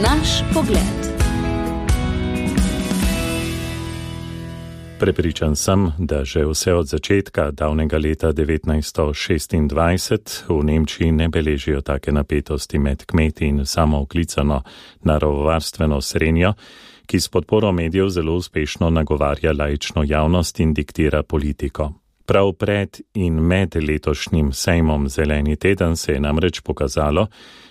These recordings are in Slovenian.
Naš pogled. Prepričan sem, da že vse od začetka davnega leta 1926 v Nemčiji ne beležijo take napetosti med kmeti in samooklicano naravovarstveno srenjo, ki s podporo medijev zelo uspešno nagovarja laično javnost in diktira politiko. Prav pred in med letošnjim sejmom Zeleni teden se je namreč pokazalo,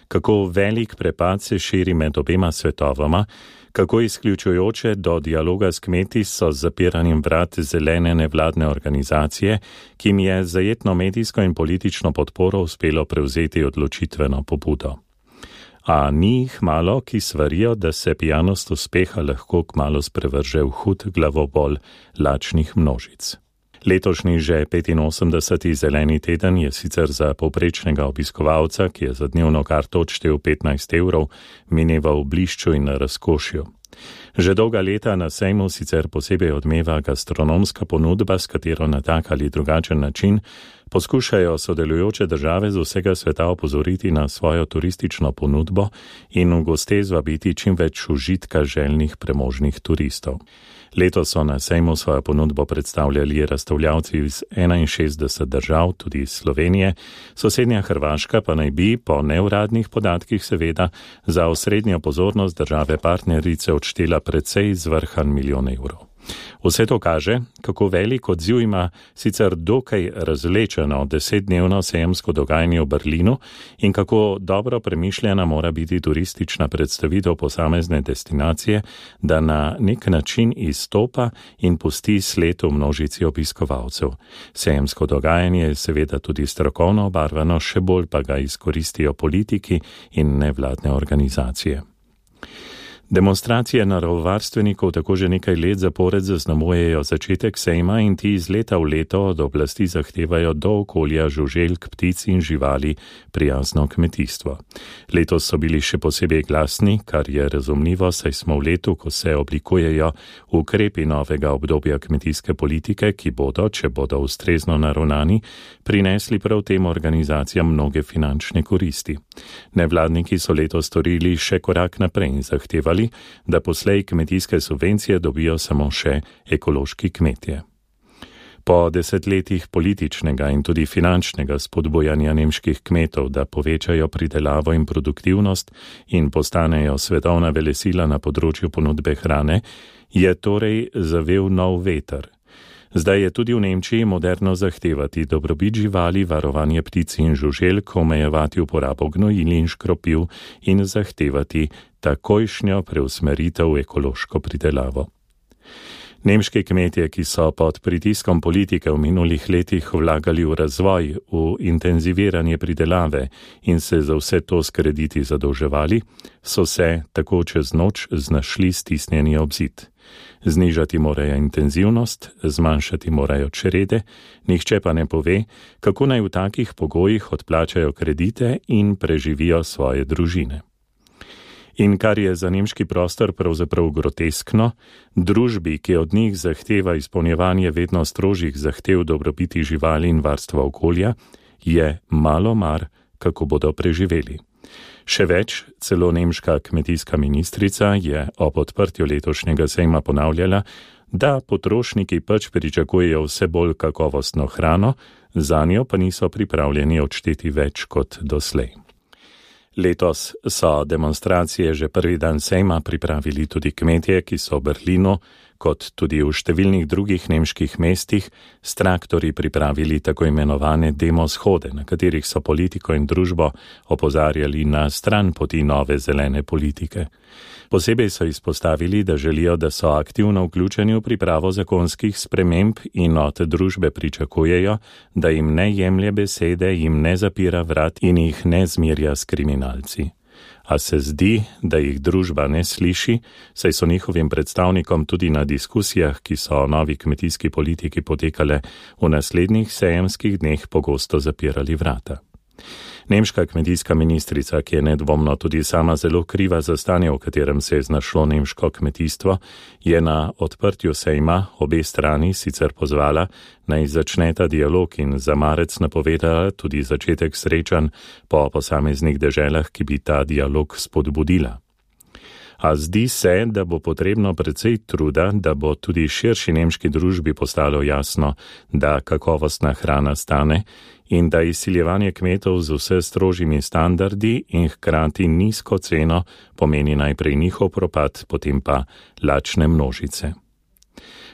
kako velik prepad se širi med obema svetovoma, kako izključujoče do dialoga s kmeti so z zapiranjem vrat zelene nevladne organizacije, ki jim je zajetno medijsko in politično podporo uspelo prevzeti odločitveno pobudo. A ni jih malo, ki svarijo, da se pijanost uspeha lahko kmalu sprevrže v hud glavobol lačnih množic. Letošnji že 85. Zeleni teden je sicer za povprečnega obiskovalca, ki je za dnevno karto odštel 15 evrov, mineval v blišču in razkošju. Že dolga leta na sejmu sicer posebej odmeva gastronomska ponudba, s katero na tak ali drugačen način poskušajo sodelujoče države z vsega sveta opozoriti na svojo turistično ponudbo in v goste zvabiti čim več užitka željnih premožnih turistov. Letos so na sejmu svojo ponudbo predstavljali razstavljavci iz 61 držav, tudi iz Slovenije, sosednja Hrvaška pa naj bi, po neuradnih podatkih seveda, za osrednjo pozornost države partnerice odštela precej zvrhan milijon evrov. Vse to kaže, kako velik odziv ima sicer dokaj razvlečeno 10-dnevno sejemsko dogajanje v Berlinu in kako dobro premišljena mora biti turistična predstavitev posamezne destinacije, da na nek način izstopa in pusti sled v množici obiskovalcev. Sejemsko dogajanje je seveda tudi strokovno obarvano, še bolj pa ga izkoristijo politiki in nevladne organizacije. Demonstracije naravovarstvenikov tako že nekaj let zapored zaznamujejo začetek sejma in ti iz leta v leto od oblasti zahtevajo do okolja žuželk, ptic in živali prijazno kmetijstvo. Letos so bili še posebej glasni, kar je razumljivo, saj smo v letu, ko se oblikujejo ukrepi novega obdobja kmetijske politike, ki bodo, če bodo ustrezno naravnani, prinesli prav tem organizacijam mnoge finančne koristi. Nevladniki so letos storili še korak naprej in zahtevali, da poslej kmetijske subvencije dobijo samo še ekološki kmetje. Po desetletjih političnega in tudi finančnega spodbujanja nemških kmetov, da povečajo pridelavo in produktivnost in postanejo svetovna velesila na področju ponudbe hrane, je torej zavel nov veter. Zdaj je tudi v Nemčiji moderno zahtevati dobrobit živali, varovanje ptic in žuželk, omejevati uporabo gnojil in škropiv in zahtevati takojšnjo preusmeritev v ekološko pridelavo. Nemški kmetje, ki so pod pritiskom politike v minulih letih vlagali v razvoj, v intenziviranje pridelave in se za vse to s krediti zadolževali, so se tako čez noč znašli stisnjeni ob zid. Znižati morajo intenzivnost, zmanjšati morajo črede, nihče pa ne pove, kako naj v takih pogojih odplačajo kredite in preživijo svoje družine. In kar je za nemški prostor pravzaprav groteskno, družbi, ki od njih zahteva izpolnjevanje vedno strožjih zahtev dobrobiti živali in varstva okolja, je malo mar, kako bodo preživeli. Še več, celo nemška kmetijska ministrica je ob odprtju letošnjega sejma ponavljala, da potrošniki pač pričakujejo vse bolj kakovostno hrano, zanjo pa niso pripravljeni odšteti več kot doslej. Letos so demonstracije že prvi dan sejma pripravili tudi kmetje, ki so v Berlinu, kot tudi v številnih drugih nemških mestih, s traktorji pripravili tako imenovane demoshode, na katerih so politiko in družbo opozarjali na stran poti nove zelene politike. Posebej so izpostavili, da želijo, da so aktivno vključeni v pripravo zakonskih sprememb in od družbe pričakujejo, da jim ne jemlje besede, jim ne zapira vrat in jih ne zmerja s kriminalci. A se zdi, da jih družba ne sliši, saj so njihovim predstavnikom tudi na diskusijah, ki so o novi kmetijski politiki potekale v naslednjih sejemskih dneh, pogosto zapirali vrata. Nemška kmetijska ministrica, ki je nedvomno tudi sama zelo kriva za stanje, v katerem se je znašlo nemško kmetijstvo, je na odprtju sejma obe strani sicer pozvala, naj začneta dialog in za marec napovedala tudi začetek srečanj po posameznih deželah, ki bi ta dialog spodbudila. A zdi se, da bo potrebno precej truda, da bo tudi širši nemški družbi postalo jasno, da kakovostna hrana stane in da izsiljevanje kmetov z vse strožjimi standardi in hkrati nizko ceno pomeni najprej njihov propad, potem pa lačne množice.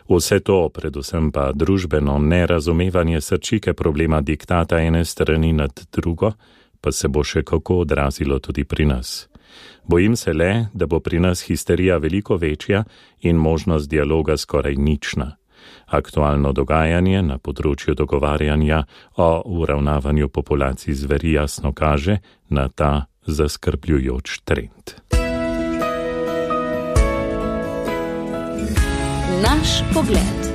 Vse to, predvsem pa družbeno nerazumevanje srčike problema diktata ene strani nad drugo, pa se bo še kako odrazilo tudi pri nas. Bojim se le, da bo pri nas histerija veliko večja in možnost dialoga skoraj nična. Aktualno dogajanje na področju dogovarjanja o uravnavanju populacij zveri jasno kaže na ta zaskrbljujoč trend. Naš pogled.